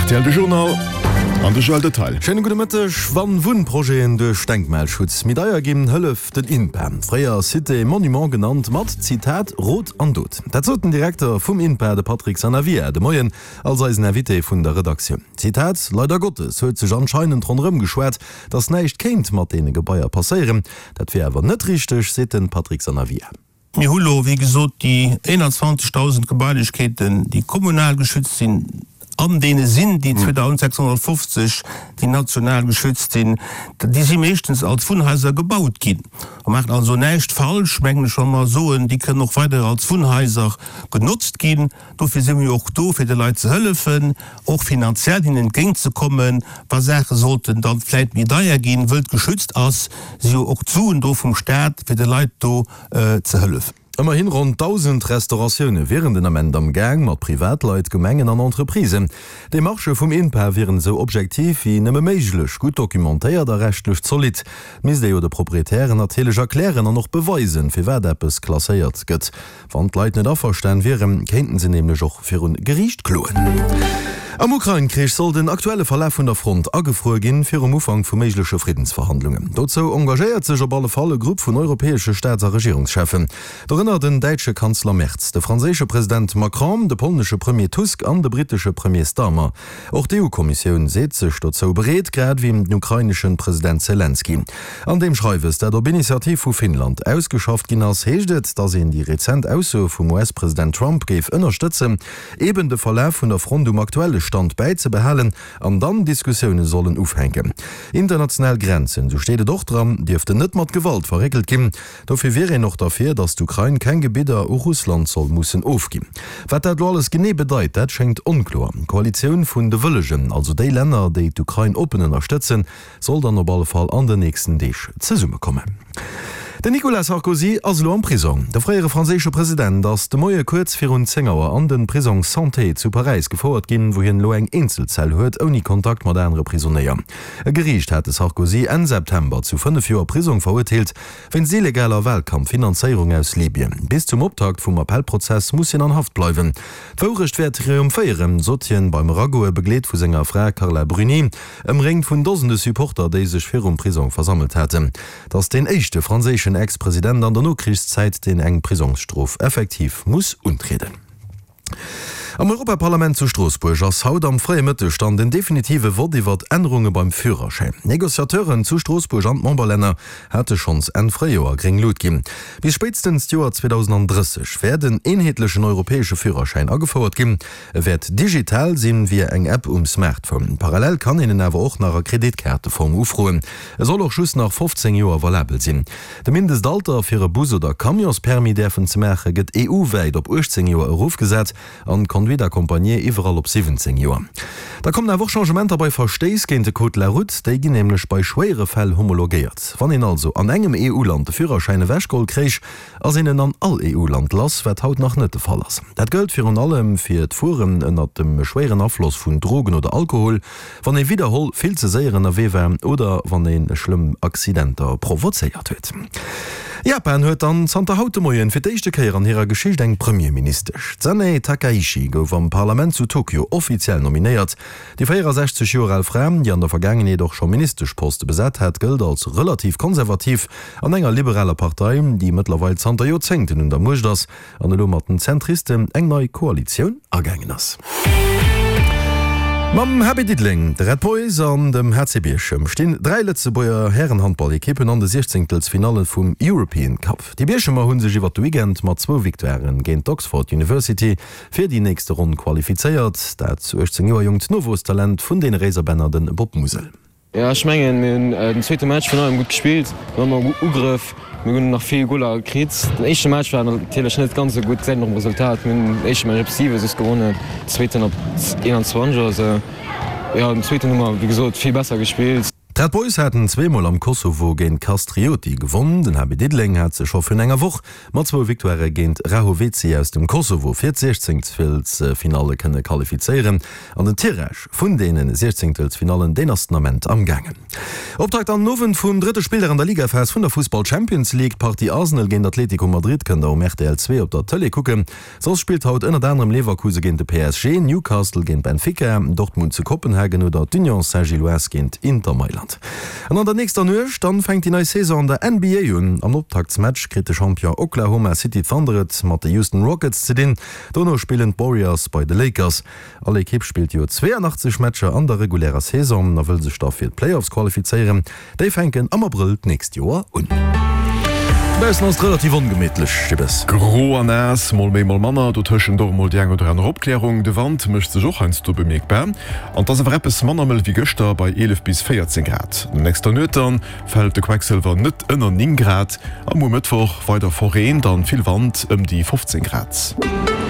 Rtl De Journal an de Joël Detail. Schéine gudde Mëtteg. Wann Wunnprojeten duerch Denkmalschutz méi deier ginn, hëlleft den INPA, fréier Cité Monument genannt, mat, Zitat, Rot an Dot. Dat sot den Direkter vum INPA, de Patrick Sanavia, de Moien als eisen Invité vun der Redaktioun. Zitat, Leider Gottes huet sech anscheinend ronderëm geschwat, datt näischt kéint mat deene Gebaier passéieren. Dat wier awer net richteg, seet de Patrick Sanavia. Mir hu lo, wéi gesot, déi 21.000 Gebailechkeeten, déi kommunal geschützt sinn, an deene sinn déi 2.650, déi national geschützt sinn. Déi si meeschtens als Wunnhaiser gebaut ginn. Mer maachen also näischt falsch, mengen ech, wa mer soen, déi kënnen och weider als Wunnhaiser genotzt ginn. Dofir si mir jo och do, fir de Leit ze hëllefen, och finanziell hinnen entgéintzekommen, wa Saache sollten dann vläit méi deier ginn. Wëll et geschützt ass, si jo och d'Suen do vum Staat, fir de Leit do ze hëllefen. Ëmmerhin ronn 1.000 Restauratioune wieren den Ament am Gaang, mat Privatleit, Gemengen an Entreprisen. D'Demarchë vum INPA wieren esou objektiv wéi nëmme méiglech, gutt documentéiert a rechtlech zolidd. Et misst ee jo de Proprietären natierlech erklären an och beweisen, firwat eppes klasséiert gëtt. Wann d'Leit net averstan wieren, kéinten se nämlech och virun Geriicht kloen. Am Ukrain-Krich soll den aktuelle Verlaf vun der Front agefruer ginn, virum Ufank vu méigleche Friddensverhandlungen. Dozou engagéiert sech op alle Fall e Grupp vun europäesche Staats a Regierungscheffen, dorënner den däitsche Kanzler Merz, de franséische President Macron, de polnesche Premier Tusk an de brittesche Premier Starmer. Och d'EU-Kommissioun seet sech dozou bereet, grad ewéi den ukraineschen President Selenskyj. An deem Schreiwes, dat op Initiativ vu Finnland ausgeschafft ginn ass, heescht et, datt een déi rezent Aussoe vum US-President Trump géif ënnerstëtzen, eben de Verlaf vun der Front um aktuelle Stand bäizebehalen an dann Diskussioune sollen ufänken. International Grenzen, esou steet et och dran, dierften net mat Gewalt verréckelt ginn. Dofir wier een och derfir, datt d'Ukrain keng Gebidder u Russland soll mussen ofginn. Wat dat elo alles genee bedeit, dat schéngt onkloer. D'Koalitioun vun de Wëllegen, also déi Länner, déi d'Ukrain oppen ënnerstëtzen, soll dann op alle Fall an den nächsten Deeg zesummekommen. Den Nicolas Sarkozy ass elo am Prisong. De fréiere franséische President ass de Moie kuerz virun 10 Auer an de Prisong Santé zu Paräis gefouert ginn, wou hien elo eng Eenzelzell huet, ouni Kontakt mat anere Prisonéier. E Geriicht hat de Sarkozy Enn September zu 5 Joer Prisong verurteelt, wéinst illegaler Walkampffinanzéierung aus Libyen. Bis zum Optakt vum Appellprozess muss hien an Haft bleiwen. D'Wourecht wäert triumphéieren, sot hien beim Eragoe, begleet vu senger Fra Carla Bruni, ëmréngt vun Dosende Supporter, déi sech virum Prisong versammelt haten. Et ass deen éischte franséischen Ex-President an der Nokrichszäit, deen eng Prisongsstrof effektiv muss untrieden. Am Europaparlament zu Stroossbuerg ass haut am fréie Mëtteg dann den definitive Vott iwwert Ännerunge beim Führerschäin. D'Negociateuren zu Stroossbuerg an d'Memberlänner hate schonns Enn Fréijoer gréng Lut ginn. Bis spéitstens d'Joer 2030 wäert en eenheetlechen europäesche Führerschäin agefouert ginn. E wäert digital sinn, via eng App um Smartphone. Parallel kann een en awer och nach a Kreditkaarteform ufroen. E soll och just nach 15 Joer valabel sinn. De Mindestalter fir e Bus oder Camionspermis däerfen ze maache gëtt EU-wäit op 18 Joer erofgesat an d'Conduite accompagnée iwwerall op 17 Joer. Da kommen awer och Changementer bei Verstéiss géint de Code de la route. Déi ginn nämlech bei schwéiere Fäll homologéiert. Wann een also an engem EU-Land de Führerschäin ewechgeholl kréich, ass een en an all EU-Land lass, wat haut nach net de Fall ass. Dat gëllt virun allem fir d'Fueren ënnert dem schwéieren Afloss vun Drogen oder Alkohol, wann ee widderholl vill ze séier ënnerwee war oder wann ee schlëmm Accidenter provozéiert huet. Japan huet dann zanter haut de Moien fir d'éischte Kéier an hirer Geschicht eng Premierministesch. D'Sanae Takaichi gouf am Parlament zu Tokio offiziell nominéiert. Déi 64 Joer al Fra, déi an der Vergaangenheet och scho Ministeschposte besat hat, gëllt als relativ konservativ an enger liberaler Partei, déi mëttlerweil zanter Joerzéngten un der Muecht ass an elo mat den Zentristen eng nei Koalitioun agaangen ass. Mam HB Diddeleng, de Red Boys an dem HC Bierchem stinn 3 Lëtzebuerger Härenhandballekippen an de Siechzéngtelsfinalle vum European Cup. Déi Bierchemer hu sech iwwert de Weekend mat zwou Victoiren géint d'Oxford University fir déi nächste Ronn qualifizéiert. Dat 18 Joer jonkt Nowuesstalent vun deene Réiserbänner, de Bob Musel. Jo ech mengen mir hunn den zweete Match vun allem gutt gespillt, mir hunn ëmmer gutt Ugrëff, mir hunn nach vill Goler kritt. Den éischte Match war natierlech net ganz esou gutt, gesäit een och um Resultat. Mir hunn den éischte Match op 7 soss gewonnen, den zweeten op 21 oder esou. Jo den zweeten hu mer wéi gesot vill besser gespillt. D'Red Boys haten zweemol am Kosovo géint Kastrioti gewonn. Den HB Diddeleng hat sech scho virun enger Woch mat zwou Victoirë géint Rahoveci aus dem Kosovo fir d'Siechzéngtelsfinalle kënne qualifizéieren. An den Tirage vun deene Siechzéngtelsfinallen, deen ass den Ament am gaangen. Optakt an den Owend vum drëtte Spilldag an der Ligaphas vun der Fussball-Champions League. D'Partie Arsenal géint Atlético Madrid kënnt der um rtl 2 op der Tëlee kucken. Soss spillt haut ënnert anerem Leverkusen géint de PSG, Newcastle géint Benfica, Dortmund zu Kopenhagen oder d'Union Saint-Gilloise géint Inter Mailand. An an der nächster Nuecht dann fänkt déi nei Saison an der NBA un. Am Optaktsmatch kritt de Champion Oklahoma City Thunder et mat de Houston Rockets ze dinn. Dono spillen d'Warriors bei de Lakers. All Ekipp spillt jo 82 Matcher an der regulärer Saison a wëll sech da fir d'Playoffs qualifizéieren. Déi fänken am Abrëll d'nächst Joer un. Dobaussen ass et relativ ongemittlech, Jibbes. Gro a naass, mol méi, mol manner, dotëschent och emol déi eng oder aner Opklärung. De Wand mécht sech och heiansdo bemierkbar an et ass awer eppes manner mëll wéi gëschter bei 11 bis 14 Grad. An der nächster Nuet dann fält de Quecksëlwer net ënner 9 Grad a muer Mëttwoch weider verreent an vill Wand, ëm déi 15 Grad.